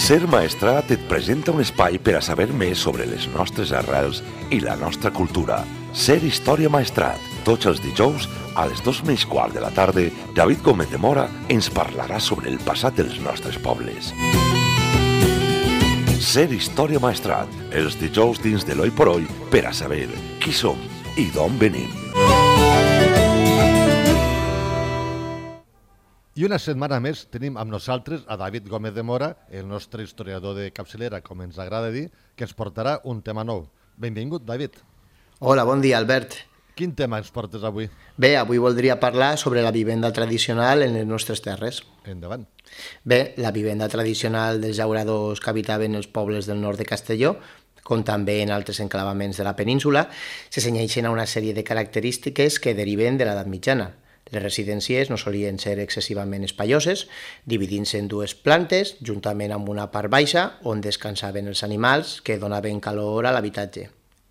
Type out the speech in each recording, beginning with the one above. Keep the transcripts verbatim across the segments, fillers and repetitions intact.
Ser Maestrat et presenta un espai per a saber més sobre les nostres arrels i la nostra cultura. Ser Història Maestrat. Tots els dijous, a les dos menys quart de la tarda, David Gómez de Mora ens parlarà sobre el passat dels nostres pobles. Ser Història Maestrat. Els dijous dins de l'Oi por Oi per a saber qui som i d'on venim. I una setmana més tenim amb nosaltres a David Gómez de Mora, el nostre historiador de capçalera, com ens agrada dir, que ens portarà un tema nou. Benvingut, David. Hola, bon dia, Albert. Quin tema ens portes avui? Bé, avui voldria parlar sobre la vivenda tradicional en les nostres terres. Endavant. Bé, la vivenda tradicional dels llauradors que habitaven els pobles del nord de Castelló, com també en altres enclavaments de la península, se cenyeixen a una sèrie de característiques que deriven de l'edat mitjana. Les residències no solien ser excessivament espaioses, dividint-se en dues plantes, juntament amb una part baixa, on descansaven els animals que donaven calor a l'habitatge.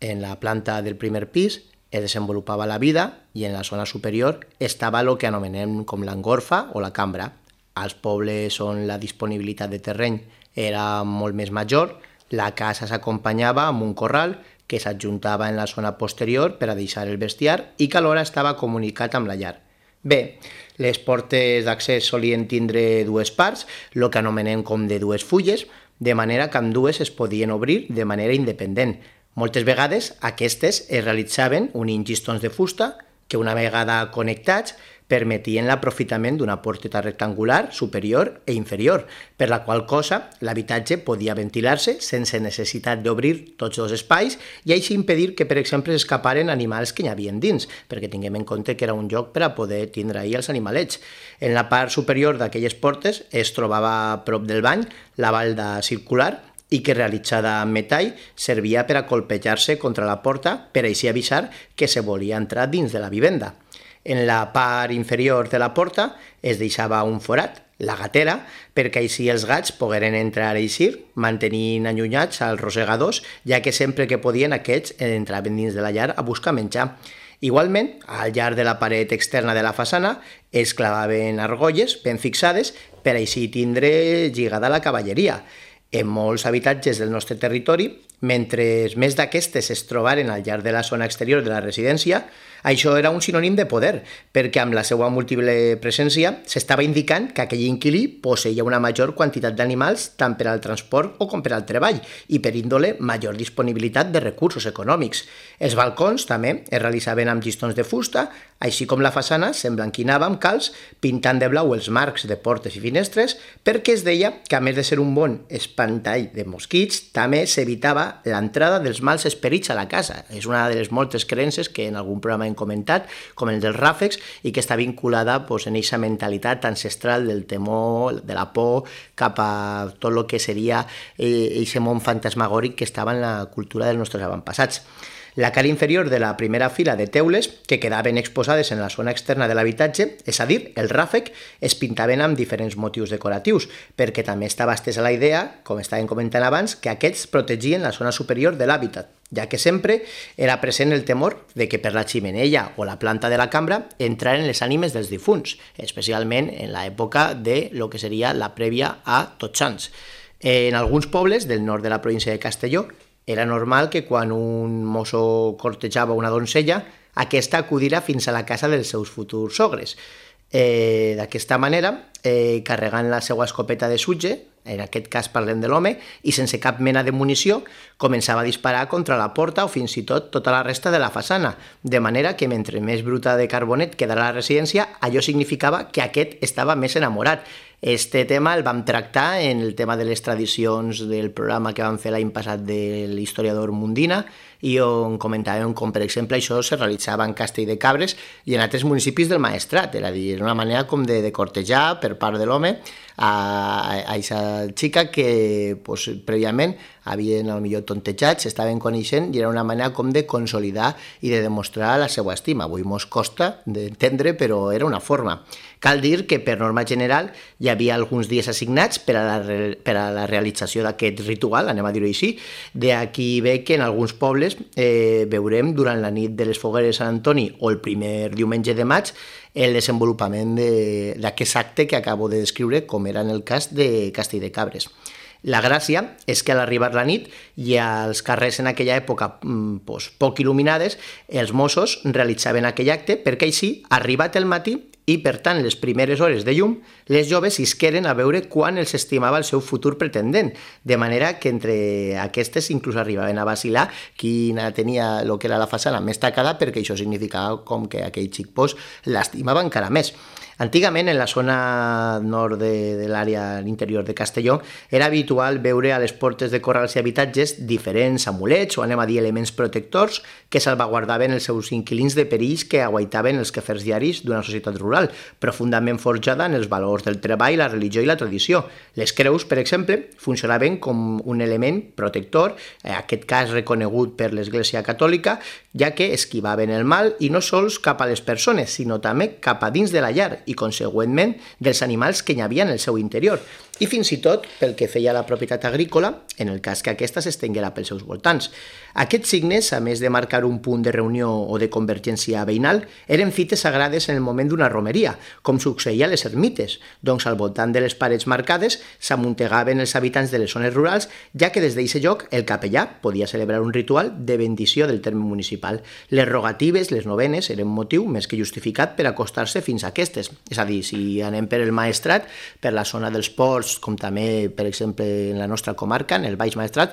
En la planta del primer pis es desenvolupava la vida i en la zona superior estava el que anomenem com l'engorfa o la cambra. Als pobles on la disponibilitat de terreny era molt més major, la casa s'acompanyava amb un corral que s'adjuntava en la zona posterior per a deixar el bestiar i que alhora estava comunicat amb la llar. Bé, les portes d'accés solien tindre dues parts, el que anomenem com de dues fulles, de manera que ambdues es podien obrir de manera independent. Moltes vegades aquestes es realitzaven unint llistons de fusta que una vegada connectats permetien l'aprofitament d'una porteta rectangular superior i inferior, per la qual cosa l'habitatge podia ventilar-se sense necessitat d'obrir tots dos espais i així impedir que, per exemple, s'escaparen animals que hi havia dins, perquè tinguem en compte que era un lloc per a poder tindre ahir els animalets. En la part superior d'aquelles portes es trobava a prop del bany la balda circular i que, realitzada amb metall, servia per a colpejar-se contra la porta per així avisar que se volia entrar dins de la vivenda. En la part inferior de la porta es deixava un forat, la gatera, perquè així els gats pogueren entrar i eixir, mantenint allunyats als rosegadors, ja que sempre que podien aquests entraven dins de la llar a buscar menjar. Igualment, al llarg de la paret externa de la façana es clavaven argolles ben fixades per així tindre lligada la cavalleria. En molts habitatges del nostre territori, mentre més d'aquestes es trobaren al llarg de la zona exterior de la residència, això era un sinònim de poder, perquè amb la seva múltiple presència s'estava indicant que aquell inquilí posseïa una major quantitat d'animals tant per al transport o com per al treball i per índole major disponibilitat de recursos econòmics. Els balcons també es realitzaven amb llistons de fusta, així com la façana s'emblanquinava amb calç pintant de blau els marcs de portes i finestres perquè es deia que, a més de ser un bon espantall de mosquits, també s'evitava l'entrada dels mals esperits a la casa. És una de les moltes creences que en algun programa hem comentat, com el dels ràfecs, i que està vinculada pues, en aquesta mentalitat ancestral del temor, de la por, cap a tot el que seria aquest eh, món fantasmagòric que estava en la cultura dels nostres avantpassats. La cara inferior de la primera fila de teules, que quedaven exposades en la zona externa de l'habitatge, és a dir, el ràfec, es pintaven amb diferents motius decoratius, perquè també estava estesa la idea, com estàvem comentant abans, que aquests protegien la zona superior de l'hàbitat, ja que sempre era present el temor de que per la ximenella o la planta de la cambra entraren les ànimes dels difunts, especialment en l'època de lo que seria la prèvia a Tots Sants. En alguns pobles del nord de la província de Castelló, era normal que quan un mosso cortejava una doncella, aquesta acudira fins a la casa dels seus futurs sogres. Eh, D'aquesta manera, eh, carregant la seva escopeta de sutge, en aquest cas parlem de l'home, i sense cap mena de munició, començava a disparar contra la porta o fins i tot tota la resta de la façana, de manera que mentre més bruta de carbonet quedara la residència, allò significava que aquest estava més enamorat. Este tema el vam tractar en el tema de les tradicions del programa que vam fer l'any passat de l'historiador Mundina i on comentàvem com, per exemple, això se realitzava en Castell de Cabres i en altres municipis del Maestrat, és a dir, una manera com de, de cortejar per part de l'home a aquesta xica que pues, prèviament havien potser tontejat, s'estaven coneixent i era una manera com de consolidar i de demostrar la seva estima. Avui mos costa d'entendre, però era una forma. Cal dir que per norma general hi havia alguns dies assignats per a la, per a la realització d'aquest ritual, anem a dir-ho així. D'aquí ve que en alguns pobles eh, veurem durant la nit de les fogueres de Sant Antoni o el primer diumenge de maig el desenvolupament d'aquest acte que acabo de descriure, com era en el cas de Castell de Cabres. La gràcia és que a l'arribar la nit i als carrers en aquella època pues, poc il·luminades, els Mossos realitzaven aquell acte perquè així, arribat el matí, i, per tant, les primeres hores de llum, les joves isqueren a veure quan els estimava el seu futur pretendent, de manera que entre aquestes inclús arribaven a vacilar quina tenia el que era la façana més tacada, perquè això significava com que aquell xic pues, l'estimava encara més. Antigament, en la zona nord de, de l'àrea interior de Castelló, era habitual veure a les portes de corrals i habitatges diferents amulets o anem a dir elements protectors que salvaguardaven els seus inquilins de perills que aguaitaven els quefers diaris d'una societat rural, profundament forjada en els valors del treball, la religió i la tradició. Les creus, per exemple, funcionaven com un element protector, en aquest cas reconegut per l'Església Catòlica, ja que esquivaven el mal i no sols cap a les persones, sinó també cap a dins de la llar i, consegüentment, dels animals que hi havia en el seu interior, i fins i tot pel que feia a la propietat agrícola, en el cas que aquesta s'estenguera pels seus voltants. Aquests signes, a més de marcar un punt de reunió o de convergència veïnal, eren fites sagrades en el moment d'una romeria, com succeïa a les ermites, doncs al voltant de les parets marcades s'amuntegaven els habitants de les zones rurals, ja que des d'aquest lloc el capellà podia celebrar un ritual de bendició del terme municipal. Les rogatives, les novenes, eren motiu més que justificat per acostar-se fins a aquestes. És a dir, si anem per el Maestrat, per la zona dels ports, com també, per exemple, en la nostra comarca, en el Baix Maestrat,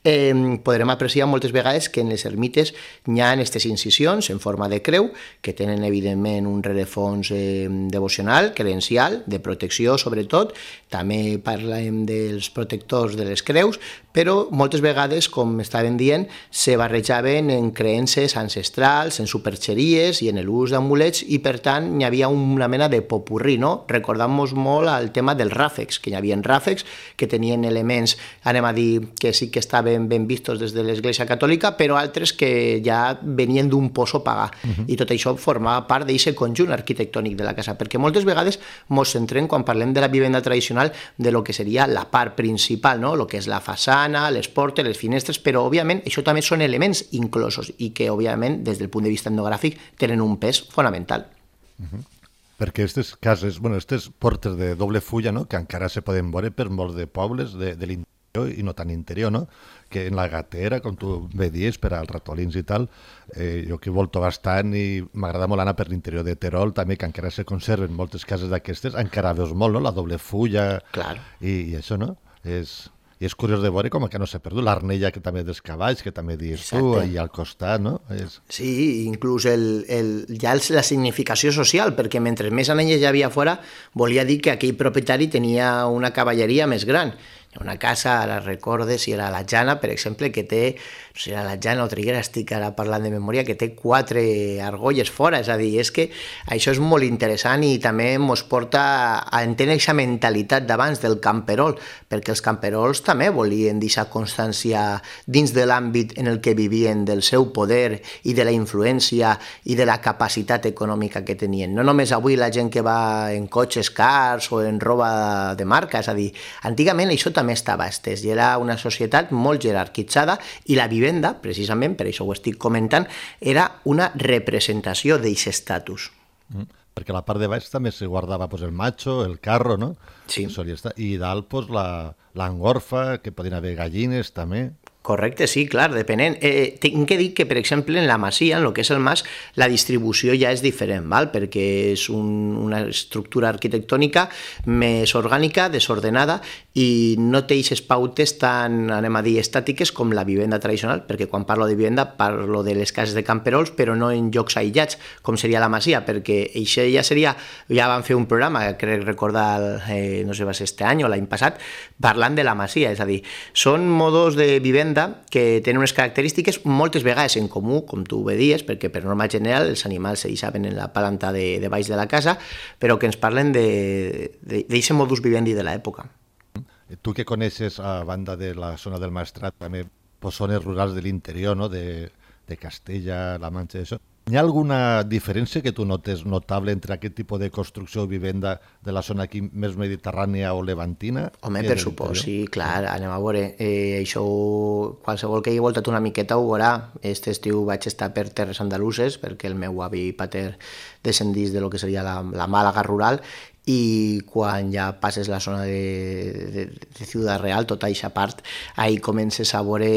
eh, podrem apreciar moltes vegades que en les ermites hi ha aquestes incisions en forma de creu, que tenen, evidentment, un rerefons eh, devocional, credencial, de protecció, sobretot. També parlem dels protectors de les creus, però moltes vegades, com estaven dient, se barrejaven en creences ancestrals, en superxeries i en l'ús d'amulets, i per tant hi havia una mena de popurrí, no? Recordant-nos molt el tema dels ràfecs, que hi havia ràfecs que tenien elements, anem a dir, que sí que estaven ben vistos des de l'Església Catòlica, però altres que ja venien d'un pozo pagà. Uh-huh. I tot això formava part d'aquest conjunt arquitectònic de la casa, perquè moltes vegades ens centrem, quan parlem de la vivenda tradicional, de lo que seria la part principal, no? Lo que és la façana, les portes, les finestres, però, òbviament, això també són elements inclosos i que, òbviament, des del punt de vista etnogràfic, tenen un pes fonamental. Uh-huh. Perquè aquestes cases, bueno, aquestes portes de doble fulla, no?, que encara se poden veure per molts de pobles de, de l'interior i no tan interior, no?, que en la Gatera, com tu bé dius, per als ratolins i tal, eh, jo que volto bastant i m'agrada molt anar per l'interior de Terol, també, que encara se conserven moltes cases d'aquestes, encara veus molt, no?, la doble fulla. Clar. I, i això, no? És... I és curiós de veure com que no s'ha perdut. L'arnella que també dels cavalls, que també dius tu, i al costat, no? És... Sí, inclús el, el, ja el, la significació social, perquè mentre més anelles hi havia fora, volia dir que aquell propietari tenia una cavalleria més gran. Una casa, ara recorde, si era la Jana, per exemple, que té, no sé si era la Jana o Triguera, estic ara parlant de memòria, que té quatre argolles fora, és a dir, és que això és molt interessant i també ens porta a entendre aquesta mentalitat d'abans del camperol, perquè els camperols també volien deixar constància dins de l'àmbit en el que vivien del seu poder i de la influència i de la capacitat econòmica que tenien. No només avui la gent que va en cotxes cars o en roba de marca, és a dir, antigament això també també estava estès i era una societat molt jerarquitzada i la vivenda, precisament, per això ho estic comentant, era una representació d'aquest estatus. Mm, perquè a la part de baix també se guardava pues, el macho, el carro, no? Sí. I dalt pues, la, l'engorfa, que podien haver gallines també. Correcte, sí, clar, depenent. Eh, tinc que dir que, per exemple, en la masia, en el que és el mas, la distribució ja és diferent, val? Perquè és un, una estructura arquitectònica més orgànica, desordenada, i no té aquestes pautes tan, anem a dir, estàtiques com la vivenda tradicional, perquè quan parlo de vivenda parlo de les cases de camperols, però no en llocs aïllats, com seria la masia, perquè això ja seria, ja vam fer un programa, crec recordar, eh, no sé, va ser este any o l'any passat, parlant de la masia, és a dir, són modos de vivenda que tenen unes característiques moltes vegades en comú, com tu bé dies, perquè per norma general els animals se deixaven en la planta de, de baix de la casa, però que ens parlen d'aquest modus vivendi de l'època. Tu que coneixes, a banda de la zona del Maestrat, també pues, zones rurals de l'interior, no? de, de Castella, La Manxa, això. Hi ha alguna diferència que tu notes notable entre aquest tipus de construcció o vivenda de la zona aquí més mediterrània o levantina? Home, per supost, sí, clar, anem a veure. Eh, això, qualsevol que hagi voltat una miqueta ho veurà. Este estiu vaig estar per terres andaluses, perquè el meu avi pater descendís de lo que seria la, la Màlaga rural, i quan ja passes la zona de, de, de Ciutat Real, tota aquesta part, ahí comences a veure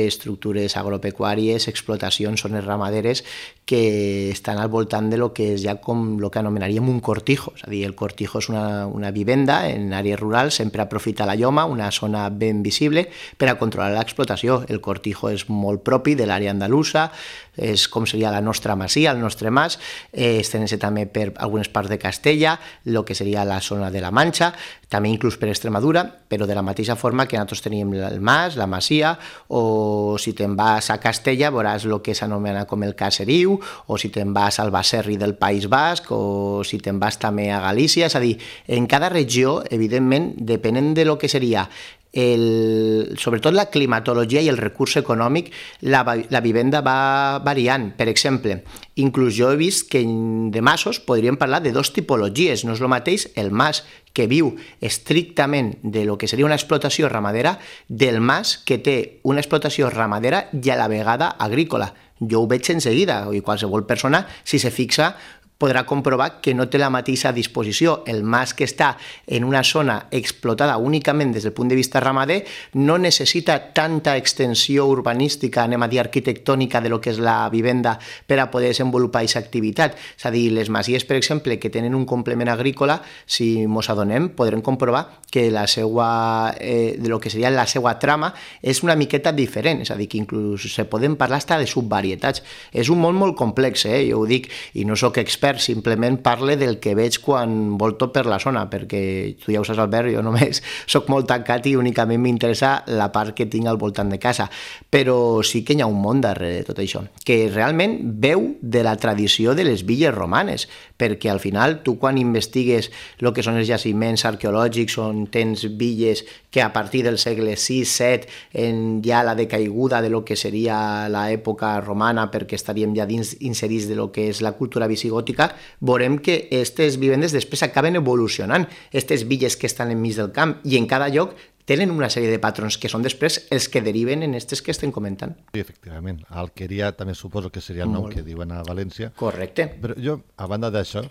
estructures agropecuàries, explotacions, zones ramaderes que estan al voltant de lo que és ja com el que anomenaríem un cortijo. És a dir, el cortijo és una, una vivenda en àrees rurals, sempre aprofita la lloma, una zona ben visible, per a controlar l'explotació. El cortijo és molt propi de l'àrea andalusa, és com seria la nostra masia, el nostre mas, eh, estén-se també per algunes parts de Castella, el que seria la zona de la Manxa, també inclús per Extremadura, però de la mateixa forma que nosaltres teníem el mas, la masia, o si te'n vas a Castella veuràs el que s'anomena com el caseriu, o si te'n vas al Baserri del País Basc, o si te'n vas també a Galícia, és a dir, en cada regió, evidentment, depenent de lo que seria el, sobretot la climatologia i el recurs econòmic, la, la vivenda va variant. Per exemple, inclús jo he vist que de masos podríem parlar de dos tipologies. No és el mateix el mas que viu estrictament de lo que seria una explotació ramadera del mas que té una explotació ramadera i a la vegada agrícola. Jo ho veig en seguida, i qualsevol persona, si se fixa, podrà comprovar que no té la mateixa disposició. El mas que està en una zona explotada únicament des del punt de vista ramader no necessita tanta extensió urbanística, anem a dir arquitectònica, de lo que és la vivenda per a poder desenvolupar aquesta activitat. És a dir, les masies, per exemple, que tenen un complement agrícola, si mos adonem, podrem comprovar que la seva, eh, de lo que seria la seva trama és una miqueta diferent, és a dir, que inclús se poden parlar hasta de subvarietats. És un món molt complex, eh? Jo ho dic, i no sóc expert, simplement parle del que veig quan volto per la zona, perquè tu ja ho saps, Albert, jo només soc molt tancat i únicament m'interessa la part que tinc al voltant de casa, però sí que hi ha un món darrere de tot això, que realment veu de la tradició de les villes romanes, perquè al final tu quan investigues el que són els jaciments arqueològics on tens villes que a partir del segle sis set en ja la decaiguda de lo que seria l'època romana, perquè estaríem ja dins inserits de lo que és la cultura visigòtica, veurem que aquestes vivendes després acaben evolucionant, aquestes villes que estan enmig del camp, i en cada lloc tenen una sèrie de patrons que són després els que deriven en aquestes que estem comentant. Sí, efectivament. Alqueria també suposo que seria el nom que diuen a València. Correcte. Però jo, a banda d'això,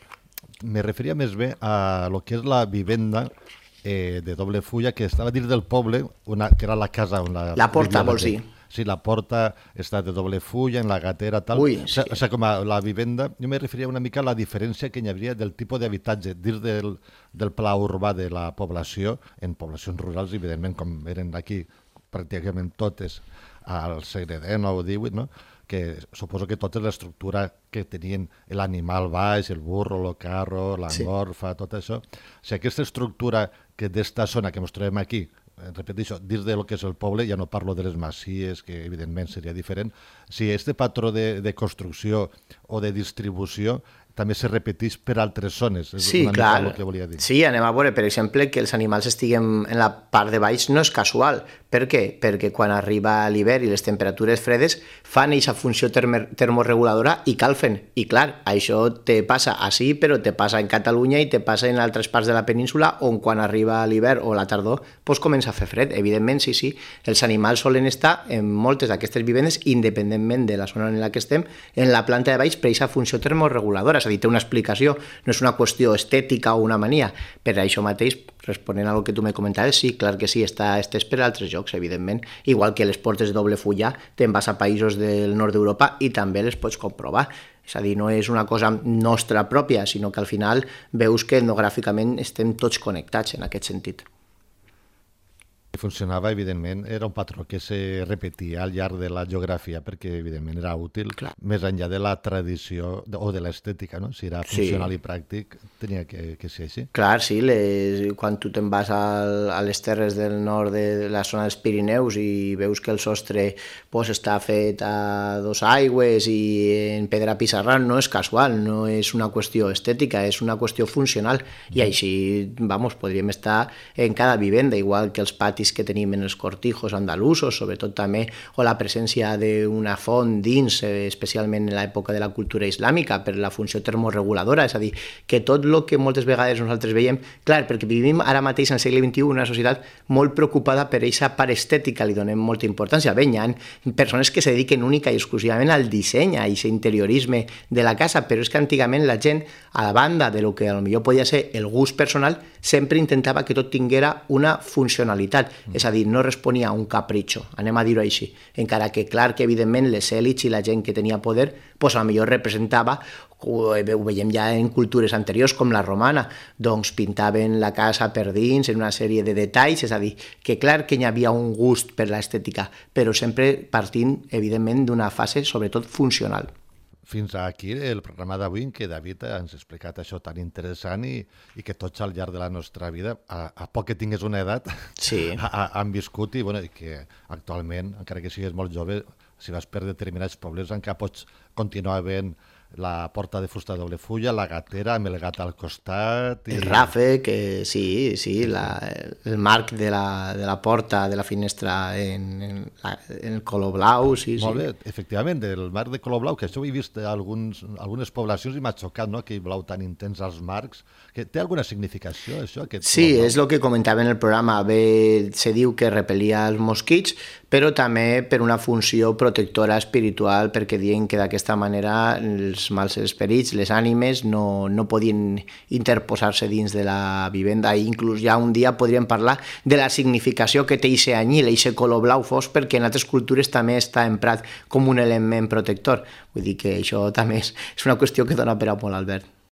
me referia més bé a lo que és la vivenda eh, de doble fulla que estava dins del poble, una, que era la casa on la... La porta, vols dir? Sí, la porta està de doble fulla, en la gatera, tal. Ui, sí. O sigui, com a la vivenda, jo me referia una mica a la diferència que hi hauria del tipus d'habitatge dins del, del pla urbà de la població, en poblacions rurals, evidentment, com eren aquí pràcticament totes al segle dinou o divuit, no? Que suposo que tota l'estructura que tenien l'animal baix, el burro, el carro, l'engorfa, sí. Tot això. O sigui, aquesta estructura que d'esta zona que ens trobem aquí, repeteixo, dins del que és el poble, ja no parlo de les masies, que evidentment seria diferent, si este patró de, de construcció o de distribució també se repeteix per altres zones. És sí, una clar. Mica el que volia dir. Sí, anem a veure, per exemple, que els animals estiguen en la part de baix no és casual. Per què? Perquè quan arriba l'hivern i les temperatures fredes fan aquesta funció termorreguladora i calfen. I clar, això te passa així, però te passa en Catalunya i te passa en altres parts de la península on quan arriba l'hivern o la tardor doncs comença a fer fred. Evidentment, sí, sí, els animals solen estar en moltes d'aquestes vivendes, independentment de la zona en la que estem, en la planta de baix per aquesta funció termorreguladora. És a dir, té una explicació, no és una qüestió estètica o una mania. Per això mateix, responent al que tu me comentaves, sí, clar que sí, està estès per altres llocs, evidentment. Igual que les portes de doble fulla, te'n vas a països del nord d'Europa i també les pots comprovar. És a dir, no és una cosa nostra pròpia, sinó que al final veus que etnogràficament estem tots connectats en aquest sentit. Funcionava, evidentment, era un patró que se repetia al llarg de la geografia perquè, evidentment, era útil, clar, més enllà de la tradició o de l'estètica, no? Si era funcional sí. I pràctic, tenia que, que ser així. Clar, sí, les, quan tu te'n vas al, a les terres del nord de la zona dels Pirineus i veus que el sostre pues, està fet a dos aigües i en pedra pissarra, no és casual, no és una qüestió estètica, és una qüestió funcional, i així, vamos, podríem estar en cada vivenda, igual que els patis patís que tenim en els cortijos andalusos, sobretot també, o la presència d'una font dins, especialment en l'època de la cultura islàmica, per la funció termorreguladora, és a dir, que tot el que moltes vegades nosaltres veiem, clar, perquè vivim ara mateix en el segle vint-i-u una societat molt preocupada per aquesta part estètica, li donem molta importància. Bé, hi ha persones que se dediquen única i exclusivament al disseny, a aquest interiorisme de la casa, però és que antigament la gent, a la banda de lo que potser podia ser el gust personal, sempre intentava que tot tinguera una funcionalitat, mm. és a dir, no responia a un capritxo, anem a dir-ho així, encara que clar que evidentment les èlits i la gent que tenia poder, doncs a lo millor representava, ho veiem ja en cultures anteriors com la romana, doncs pintaven la casa per dins en una sèrie de detalls, és a dir, que clar que hi havia un gust per l'estètica, però sempre partint evidentment d'una fase sobretot funcional. Fins aquí el programa d'avui en què David ens ha explicat això tan interessant i, i que tots al llarg de la nostra vida, a, a poc que tingués una edat, sí. ha, han viscut i, bueno, i que actualment, encara que siguis molt jove, si vas per determinats pobles encara pots continuar veient la porta de fusta de doble fulla, la gatera amb el gat al costat... I... El ràfec, que sí, sí, la, el marc de la, de la porta, de la finestra en, en, la, en el color blau, sí, sí. Molt bé, efectivament, del marc de color blau, que això ho he vist a alguns, algunes poblacions i m'ha xocat, no?, aquell blau tan intens als marcs. Que té alguna significació, això? Aquest sí, és el que comentava en el programa. Bé, se diu que repelia els mosquits, però també per una funció protectora espiritual, perquè diuen que d'aquesta manera els mals esperits, les ànimes, no, no podien interposar-se dins de la vivenda. I inclús ja un dia podríem parlar de la significació que té aquest anyil, aquest color blau fosc, perquè en altres cultures també està emprat com un element protector. Vull dir que això també és, és una qüestió que dona per a molt, Albert.